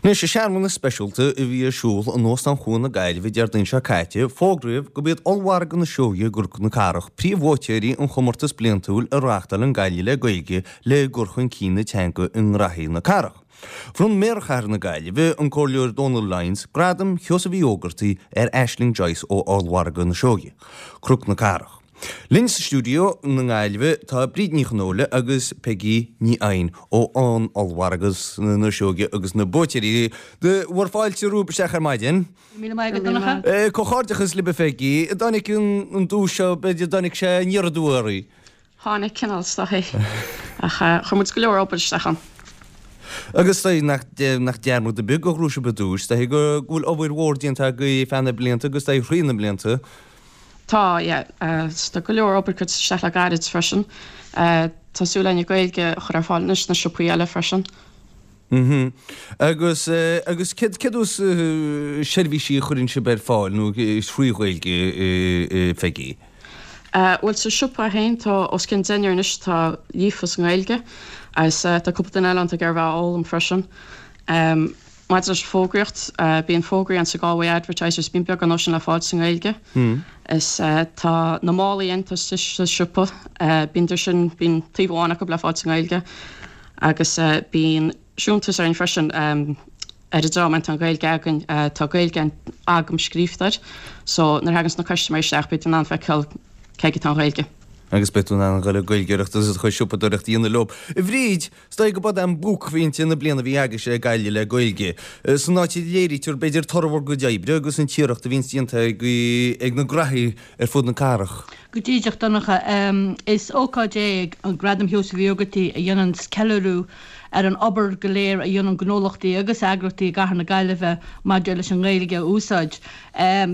Anois, i searmanas speisialta a bhí ar siúl in Óstán Chuan na Gaillimhe Déardaoin seo caite, fógraíodh gurb iad Ollmhargadh na Seoighe i gCnoc na Cathrach príomhbhuaiteoirí an chomórtais bliantúil a reáchtálann Gaillimh le Gaeilge le cur chun cinn na teanga i ngraithí na cathrach. Bhronn Méara Chathair na Gaillimhe, an Comhairleoir Dónal Lyons, Gradam Sheosaimh Uí Ógartaigh ar Aisling Joyce ó Ollmhargadh na Seoighe, Cnoc na Cathrach. Linn sa stiúideo na Gaillimhe tá Bríd Ní Chonghóile agus Peigí Ní Eidhin ó an Ollmhargadh na Seoighe agus na buaiteoirí. Bhur fáilte romhaibh isteach ar maidin. Go raibh míle maith agat, Donncha. Comhghairdeachas libh a Pheigí. An dtáinig an duais seo, b'fhéidir, an dtáinig sé aniar aduaidh oraibh. Tháinig cineál is dóichí. Ach chuir muid go leor obair isteach ann. Agus is dóigh nach nach dearmad ar bith gur ghnóthaigh sibh an duais. Is dóigh go bhfuil obair mhór déanta agaibh feadh na blianta agus is dóigh thrí na blianta. Tá, yeah. Tá go leor obair curtha isteach le gairid freisin. Tá súil againn an Ghaeilge a chur ar fáil anois sna siopaí eile freisin. Mhm. Agus, agus céard, céard is seirbhísí a chuireann sibh ar fáil nó thrí Ghaeilge, a Pheigí? Bhuel, sa siopa féin tá os cionn deichniúr anois atá líofa sa nGaeilge agus tá cúpla duine eile ann atá ag iarraidh bheith á fhoghlaim freisin. Maidir leis an bhfógraíocht, bíonn fógraí ann sa Galway Advertiser, bíonn beagán dó sin le fáil sa nGaeilge. Is tá na málaí ann atá istigh sa siopa, bíonn sin, bíonn taobh amháin acu le fáil sa nGaeilge agus bíonn siúntas orainn freisin ar an dream tá an Ghaeilge againn, tá Gaeilge agam scríofa air so nuair a thaganns na custaiméirí isteach beidh in ann feiceáil cé aige atá an Ghaeilge. Agus beidh tú in ann a dhul ag Gaeilgeoireacht agus do chuid siopadóireacht a dhéanamh leo. A Bhríd, is dóigh go b'é an buaicphointe na bliana a bhí agaibhse ag Gaillimh le Gaeilge. San áit a léirítear b'fhéidir toradh bhur gcuid oibre agus an t-iarracht a bhíonns déanta ag na graithí ar fud na cathrach. Go díreach, Donncha. Is ócáid é an Gradam Sheosaimh Uí Ógartaigh a dhéananns ceiliúradh ar an obair go léir a dhéanann gnólachtaí agus eagraíochtaí i gcathair na Gaillimhe maidir leis an nGaeilge a úsáid.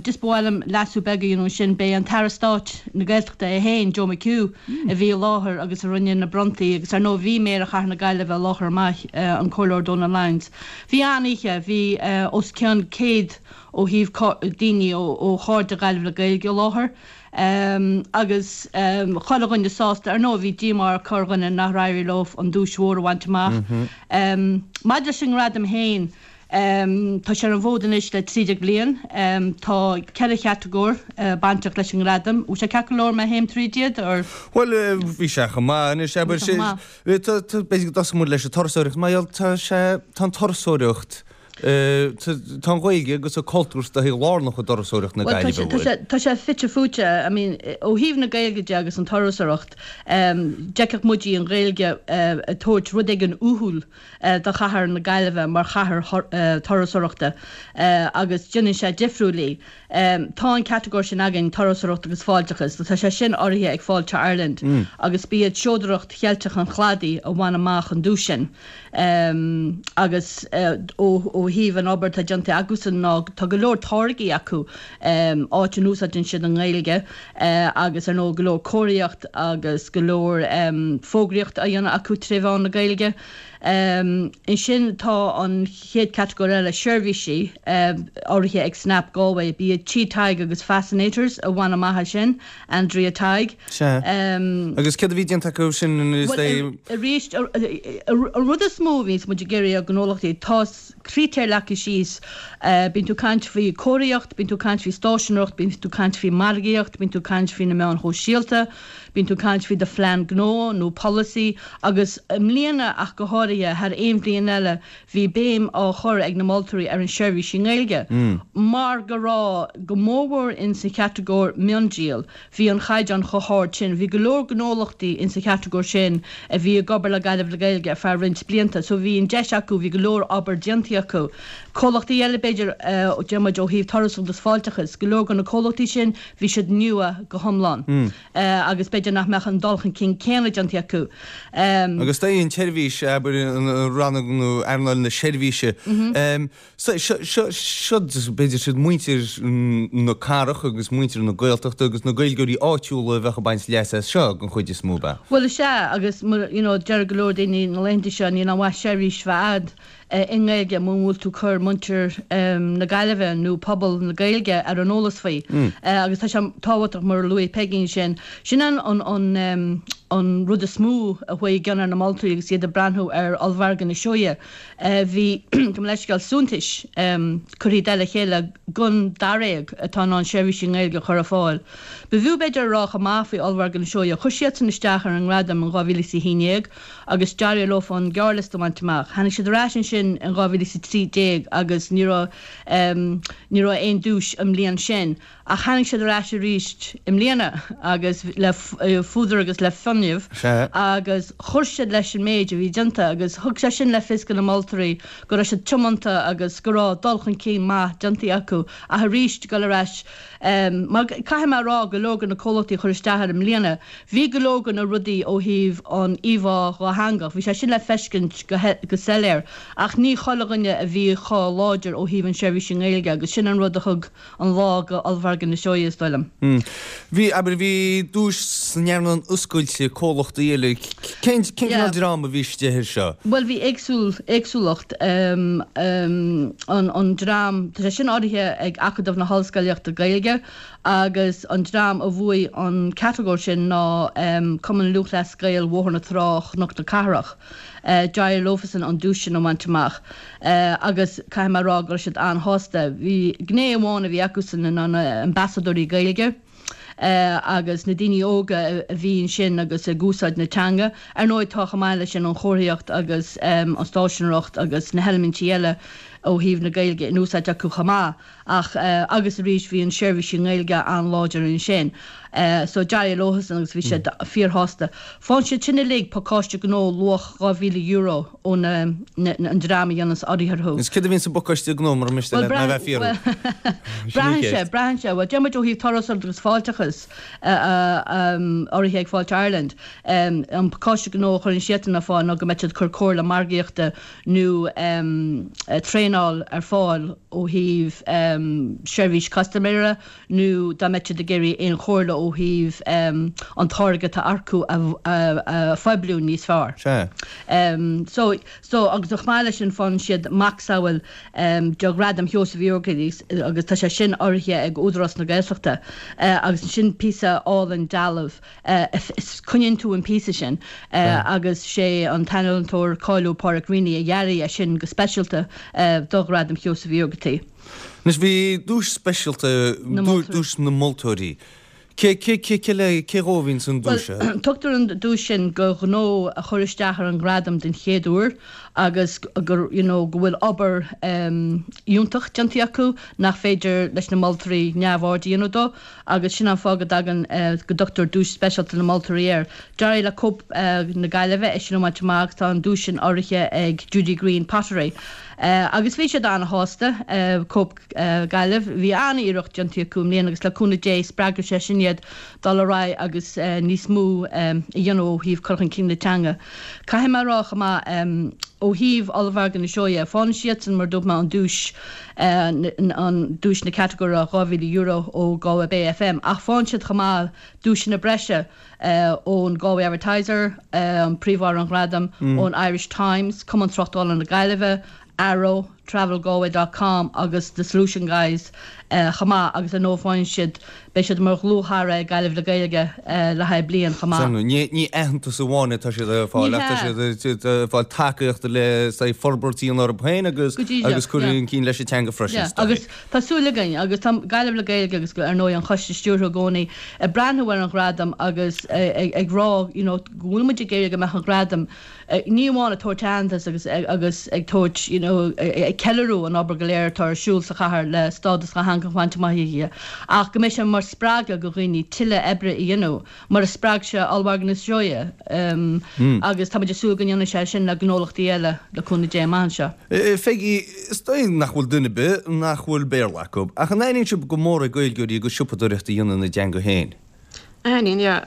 Just ba mhaith liom leasú beag a dhéanamh ansin. B'é an tAire Stáit na Gaeltachta é féin, Joe McHugh, a bhí i láthair agus a rinne na bronntaí agus ar ndóigh bhí Méara Chathair na Gaillimhe i láthair chomh maith, an Comhairleoir Donal Lyons. Bhí an-oíche, bhí os cionn 100 ó thaobh daoine ó Chairde Ghaillimh le Gaeilge i láthair agus chuile dhuine sásta. Ar ndóigh bhí díomá ar chorrdhuine nár éirigh leo an duais mhór a bhaint amach. Maidir leis an ngradam féin, tá sé ar an bhfód anois le 13 bliain. Tá ceithre chatagóir bainteach leis an ngradam. Bhfuil sé ceart go leor má théim tríd iad or? Bhuel, bhí sé chomh maith anois, abair. B'fhéidir go dtosóidh muid leis an turasóireacht mar gheall tá sé, tá an turasóireacht, Tá an Ghaeilge agus an cultúr is dóichí lárnach i dturasóireacht na Gaillimhe, an bhfuil? Tá sé fite fuaite. I mean, ó thaobh na Gaeilge de agus an turasóireacht, d'fheicfeadh muid í an Ghaeilge ag tabhairt rud éigin uathúil do chathair na Gaillimhe mar chathair turasóireachta agus déanann sé difriúil í. Tá an catagóir sin againn, Turasóireacht agus Fáilteachas, tá sé sin urraithe ag Fáilte Ireland agus b'iad Seodaireacht Cheilteach an Chladaigh a bhain amach an duais sin. Agus ó thaobh an obair atá déanta acusan ná tá go leor táirgí acu áit a n-úsáideann siad an Ghaeilge agus ar ndóigh go leor comharthaíocht agus go leor fógraíocht á dhéanamh acu tré mheán na Gaeilge. Ansin tá an chéad chatagóir eile, seirbhísí, urraithe ag Snap Galway. B'iad Tí Tadhg agus Fascinators a bhain amach é sin, Andrea Tighe. Sea. Agus céard a bhí déanta acu sin is é. Bhuel, arís, an rud is mó a bhíonns muid ag iarraidh ar ghnólachtaí, tá critéir leagtha síos. Bíonn tú ag caint faoi comharthaíocht, bíonn tú ag caint faoi stáiseanóireacht, bíonn tú ag caint faoi margaíocht, bíonn tú ag caint faoi na meáin shóisialta, Bíonn tú ag caint faoi do phlean gnó nó polasaí agus i mbliana ach go háirithe, thar aon bhliain eile, bhí béim á chur ag na moltóirí ar an seirbhís i nGaeilge mar go raibh, go mórmhór in sa chatagóir miondíol, bhí an chaighdeán chomh hard sin. Bhí go leor gnólachtaí in sa chatagóir sin a bhí ag obair le Gaillimh le Gaeilge ar feadh roinnt blianta so bhí an deis acu, bhí go leor obair déanta acu. Comhlachtaí eile b'fhéidir, deir muid ó thaobh turasóireacht agus fáilteachas, go leor de na comhlachtaí sin, Bhí siad nua go hiomlán agus b'fhéidir nach mbeadh an dul chun cinn céanna déanta acu. Agus dóigh an tseirbhís, abair, rannóg nó earnáil na seirbhíse, seo, b'fhéidir, siad muintir na cathrach agus muintir na Gaeltachta agus na Gaeilgeoirí áitiúla a bheadh ag baint leas as seo den chuid is mó, ab ea? Bhuel, is ea, agus, you know, deir go leor daoine na laethanta seo, níl aon mhaith seirbhís bheith a'd. i nGaeilge muna bhfuil tú ag cur muintir na Gaillimhe nó pobal na Gaeilge ar an eolas faoi. Agus tá sé tábhachtach, mar a luaigh Peigí ansin, sin an an an rud is mó a chuaigh i gcion ar na moltóirí agus iad ag breathnú ar ollmhargadh na Seoighe. Bhí, gabh mo leithscéal, suntais curtha i dtoll a chéile den daréag atá in ann seirbhísí i nGaeilge a chur ar fáil. B'fhiú b'fhéidir a rá chomh maith faoi ollmhargadh na Seoighe, chuir siadsan isteach ar an ngradam in 2011 agus d'éirigh leofa an gearrliosta a bhaint amach. Tháinig siad ar ais ansin in 2013 agus ní raibh ní raibh aon duais an mbliain sin ach tháinig siad ar ais arís i mbliana agus le fuadar agus le fuinneamh agus chuir siad leis an méid a bhí déanta agus thug sé sin le fios do na moltóirí go raibh siad tiomanta agus go raibh dul chun cinn maith déanta acu ach arís dul ar ais mar caithfidh mé a rá go leor de na comhlachtaí a chuir isteach air i mbliana Bhí go leor de na rudaí ó thaobh an íomhá dhátheangach, bhí sé sin le feiscint go soiléir, ach ní chuile dhuine a bhí chomh láidir ó thaobh an seirbhís i nGaeilge agus sin an rud a thug an lá go ollmhargadh na Seoighe, is dóigh liom. Bhí, abair, bhí duais san earnáil oscailte, comhlachtaí eile, cén cineál dream a bhí istigh air seo? Bhuel, bhí éagsúil, éagsúlacht, an dream, tá sé sin urraithe ag Acadamh na hOllscolaíochta Gaeilge, Agus an dream a bhuaigh an catagóir sin ná Cumann Lúthchleas Gael Bhóthar na Trá Chnoc na Cathrach. D'éirigh leofasan an duais sin a bhaint amach. Agus caithfidh mé a rá go raibh siad an-shásta. Bhí gné amháin a bhí acusan ná na ambasadóirí Gaeilge agus na daoine óga a bhí ansin agus ag úsáid na teanga. Ar ndóigh tá chomh maith leis sin an chomharthaíocht agus an stáiseanóireacht agus na heilimintí eile ó thaobh na Gaeilge in úsáid acu chomh maith. Ach, agus arís, bhí an seirbhís i nGaeilge an-láidir ansin. So, d'éirigh leofasan agus bhí siad fíorshásta. Faigheann siad sin uilig pacáiste gnó luach €2,000 ó na, an dream a dhéananns urraithe orthu. Is céard a bhíonn sa bpacáiste gnó mura miste leat mé a bheith ag fiafraí? Braitheann sé, braitheann sé. Bhuel, deir muid ó thaobh turasóireacht agus fáilteachas, urraithe ag Fáilte Ireland, an pacáiste gnó a chuireann siadsan ar fáil ná go mbeidh siad ag cur comhairle margaíochta nó traenáil ar fáil ó thaobh seirbhís custaiméara nó dá mbeadh siad ag iarraidh aon chomhairle ó thaobh an táirge atá acu a phoibliú níos fearr. Sea. So, so, agus chomh maith leis sin faigheann siad macasamhail de Ghradam Sheosaimh Uí Ógartaigh agus tá sé sin urraithe ag Údarás na Gaeltachta agus ansin píosa álainn dealbh Coinníonn tú an píosa sin agus sé an t-ealaíontóir cáiliúil Pádraic Reaney a dhearaigh é sin go speisialta do Ghradam Sheosaimh Uí Ógartaigh. Anois bhí duais speisialta, duais na moltóirí. Cé, cé, cé, cé le, cé dhó a bhíonns an duais seo? Bhuel, tugtar an duais sin go ghnó a chuir isteach ar an ngradam den chéad uair agus gur, you know, go bhfuil obair fhiúntach déanta acu nach féidir leis na moltóirí neamhaird a dhéanamh dó. agus sin an fáth go dtagann, go dtugtar Duais Speisialta na Moltóirí air. D'éirigh le Cope na Gaillimhe é sin a bhaint amach agus tá an duais sin urraithe ag Judy Greene Pottery. Agus bhí siad an-shásta, Cope Gaillimh. Bhí an-iarracht déanta acu i mbliana agus le cúnamh Dé spreagfaidh sé sin iad dul ar aghaidh agus níos mó a dhéanamh ó thaobh cur chun cinn na teanga. Caithfidh mé a rá chomh maith, ó thaobh Ollmhargadh na Seoighe, faigheann siadsan, mar a dúirt mé, an duais, an duais na catagóire €2,000 ó Galway Bay FM ach faigheann siad chomh maith duaiseanna breise ón Galway Advertiser, an príomhurraí an ghradaim, ón Irish Times, Cumann Tráchtála na Gaillimhe, Arrow, TravelGalway dot com agus The Solution Guys chomh maith agus ar ndóigh faigheann siad, beidh siad mar dhlúth-chara ag Gaillimh le Gaeilge le haghaidh bliain chomh maith. Ní aitheantas amháin atá siad ag fáil ach tá siad ag fáil tacaíochta le saghas forbairt a dhéanamh orthu féin agus agus cur chun cinn leis an teanga freisin. Yeah, agus tá súil againn agus tá Gaillimh le Gaeilge agus ar ndóigh an Choiste Stiúrtha i gcónaí ag breathnú ar an ghradam agus ag rá you know go bhfuil muid ag iarraidh go mbeadh an gradam ní amháin ag tabhairt aitheantas agus agus ag tabhairt you know ag ceiliúradh an obair go léir atá ar siúl sa chathair le stádas dhátheangach a bhaint amach aici ach go mbeidh sé mar spreagadh do dhaoine tuilleadh oibre a dhéanamh mar a spreag sé Ollmhargadh na Seoighe agus tá muid ag súil go ndéanfaidh sé sin le gnólachtaí eile le cúnamh Dé amach anseo. Pheigí, is dóigh nach bhfuil duine ar bith nach bhfuil Béarla acu, ach an aithníonn sibh go mór ar Gaeilgeoirí a gcuid siopadóireachta a dhéanamh ina dteanga féin? Aithníonn, yeah.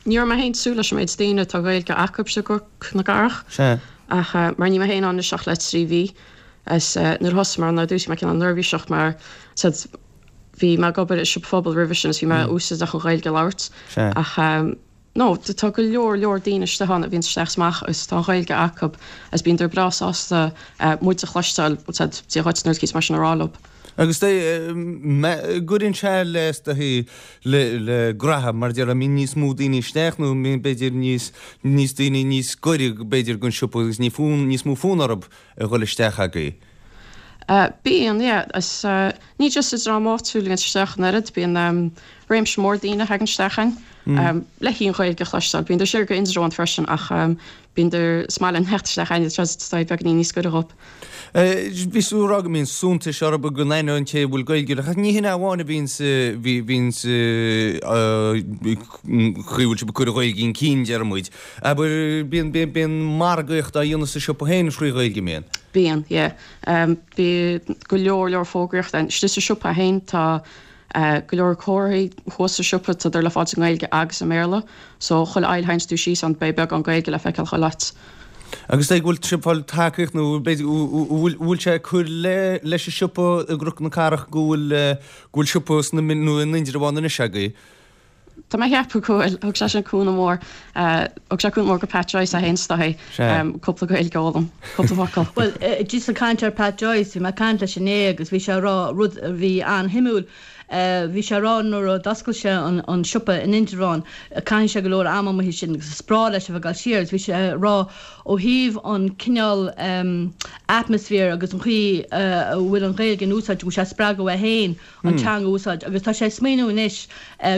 Ní raibh mé féin ag súil leis an méid daoine atá Gaeilge acu i gCnoc na gCathrach. Sea. Ach mar níl mé féin ann anois ach le 3 mhí. Is nuair a thosaigh mé ann ar dtús bhí mé cineál neirbhíseach mar said bhí mé ag obair i siopa phobail roimhe sin is bhí mé úsáideach an Ghaeilge a labhairt. Sea. Ach. No, tá go leor leor daoine istigh ann a bhíonns isteach is amach agus tá an Ghaeilge acu agus bíonn breá sásta muid a chloisteáil, Dia dhuit nó rud mar sin a rá leo. Agus gcuireann sé le is dóichí le graithe mar a déarfá, mbíonn níos mó daoine isteach nó mbíonn b'fhéidir níos níos daoine níos gaire b'fhéidir don siopa agus ní fonn níos mó fonn orthu a dhul isteach agaibh. Bíonn, yeah. Is ní just an dream áitiúil a bhíonns isteach an oiread, bíonn réimse mór daoine a thagann isteach ann le hí an Ghaeilge a chloisteáil. Bíonn siar go Indreabhán freisin ach bíonn is maith linn theacht isteach againn is tá beagáinín níos gaire dhóibh. Bhí tú ag rá go mbíonn suntais orthu go n-aithneodh an té a bhfuil Gaeilge ach ní hin é amháin a bhíonn sa bhíonn sa chaoi a bhfuil sibh ag cur an Ghaeilge chun cinn, deir muid. Abair, bíonn bíonn margaíocht á dhéanamh sa siopa féin trí Ghaeilge, an mbíonn? Bíonn, yeah. Bíonn go leor leor fógraíocht ann. Istigh sa siopa féin tá Go leor comharthaí thuas sa siopa, tádar le fáil i nGaeilge agus i mBéarla. So, chuile fhaill a théanns tú síos ann, beidh beagán Gaeilge le feiceáil chuile áit. Agus é go bhfuil sibh ag fáil tacaíocht nó b'fhéidir bhfuil bhfuil sé ag cur le leis an siopa i gCnoc na Cathrach go bhfuil go bhfuil siopa sna nó in Indreabhán anois agaibh? Tá mé ag ceapadh go bhfuil. Thug sé sin cúnamh mór. Thug sé cúnamh mór go Pat Joyce é féin is dóichí. Cúpla Gaeilge a fhoghlaim. Cúpla focal. Bhuel, just ag caint ar Pat Joyce, bhí mé ag caint leis inné agus bhí sé ag rá rud a bhí an-shuimiúil. Bhí sé ag rá nuair a d'oscail sé an siopa in Indreabhán, caitheann sé go leor ama amuigh ansin agus is breá leis a bheith ag dul siar agus bhí sé ag rá ó thaobh an cineál atmosphere agus an chaoi a bhfuil an Ghaeilge in úsáid, go bhfuil sé ag spreagadh é féin an teanga a úsáid agus tá sé ag smaoineamh anois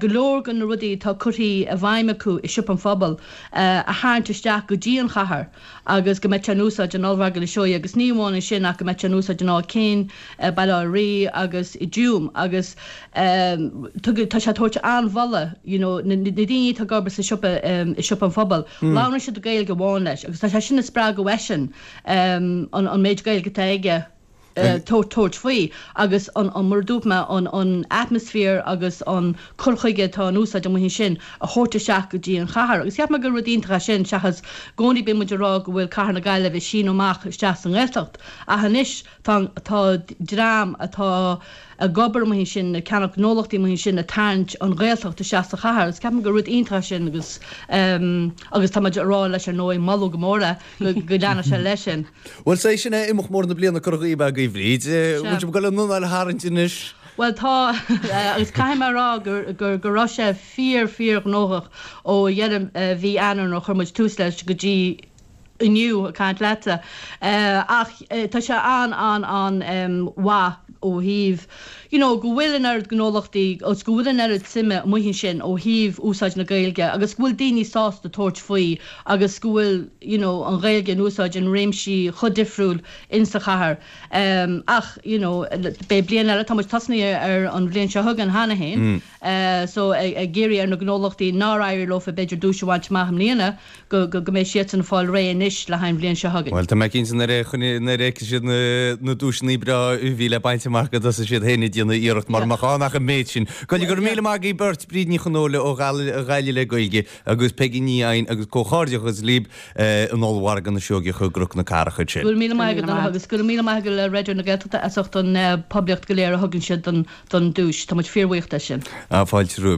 go leor de na rudaí atá curtha i bhfeidhm acu i Siopa an Phobail a tharraingt isteach go dtí an chathair agus go mbeidh sé in úsáid in Ollmhargadh na Seoighe agus ní amháin ansin ach go mbeidh sé in úsáid in Áth Cinn, Baile Átha Rí agus i dTuaim agus tá sé ag tabhairt an-mholadh you know na daoine atá ag obair sa siopa i Siopa an Phobail labhrann siad Gaeilge amháin leis agus tá sé sin ag spreagadh eisean an méid Gaeilge atá aige. tabhairt faoi agus an, mar a dúirt mé, an atmosphere agus an cur chuige atá in úsáid amuigh ansin a thabhairt isteach go dtí an chathair. Agus cheap mé gur rud iontach é sin seachas i gcónaí bíonn muid ag rá go bhfuil cathair na Gaillimhe ag síneadh amach isteach sa nGaeltacht ach anois tá, tá dream atá ag obair amuigh ansin, ag ceannach gnólachtaí amuigh ansin ag tarraingt an Ghaeltacht isteach sa chathair agus ceapaim gur rud iontach é sin agus, agus tá muid ag rá leis ar ndóigh, moladh go mór é go leanfaidh sé leis sin. Bhuel, sé sin é imeacht mór na bliana curtha dhaoibh agaibh, Bríd. Bhfuil sibh ag dul an anáil a tharraingt anois? Bhuel, tá, agus caithfidh mé a rá gur go raibh sé fíor, fíor ghnóthach ó dheireadh mhí Eanáir nuair a chuir muid tús leis go dtí inniu ag caint leatsa. Ach tá sé an, an, an mhaith ó thaobh, you know, go bhfuil an oiread gnólachtaí agus go bhfuil an oiread suime amuigh ansin ó thaobh úsáid na Gaeilge agus go bhfuil daoine sásta tabhairt faoi agus go bhfuil, you know, an Ghaeilge in úsáid in réimsí chomh difriúil in sa chathair. Ach, you know, beidh bliain eile, tá muid tosnaithe ar an bhliain seo chugainn cheana féin, so ag iarraidh ar na gnólachtaí nár éirigh leofa b'fhéidir duais a bhaint amach i mbliana, go go mbeidh siadsan ag fáil réidh anois le haghaidh an bhliain seo chugainn. Bhuel, tá mé cinnte nuair a nuair a fheicfidh siad na duaiseanna breá a bhí le baint amach go dtosóidh siad féin ag déanamh iarracht mar mbeadh ann ach an méid sin. Go raibh míle maith agaibh beirt, Bríd Ní Chonghóile ó Ghaillimh le Gaeilge agus Peigí Ní Eidhin agus comhghairdeachas libh in Ollmhargadh na Seoigeach i gCnoc na Cathrach ansin. Go raibh míle maith agat Donncha agus go raibh míle maith agat le Raidió na Gaeltachta as ucht an poiblíocht go léir a thugann siad don duais. Tá muid fíorbhuíoch de sin. Fáilte romhaibh.